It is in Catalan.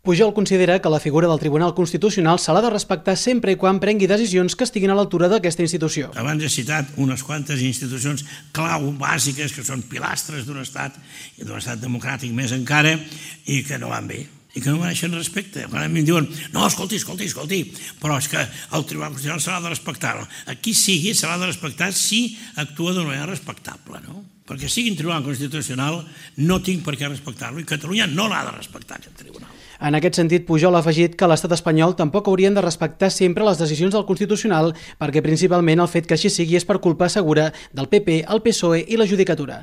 Pujol considera que la figura del Tribunal Constitucional se l'ha de respectar sempre i quan prengui decisions que estiguin a l'altura d'aquesta institució. Abans he citat unes quantes institucions clau bàsiques que són pilastres d'un estat i d'un estat democràtic més encara i que no van bé i que no mereixen respecte. Quan a mi em diuen, no, escolti, però és que el Tribunal Constitucional se l'ha de respectar. Aquí sigui, se l'ha de respectar si actua d'una manera respectable, no? Perquè sigui un Tribunal Constitucional no tinc per què respectar-lo i Catalunya no l'ha de respectar, aquest tribunal. En aquest sentit, Pujol ha afegit que l'estat espanyol tampoc haurien de respectar sempre les decisions del Constitucional perquè principalment el fet que així sigui és per culpa segura del PP, el PSOE i la Judicatura.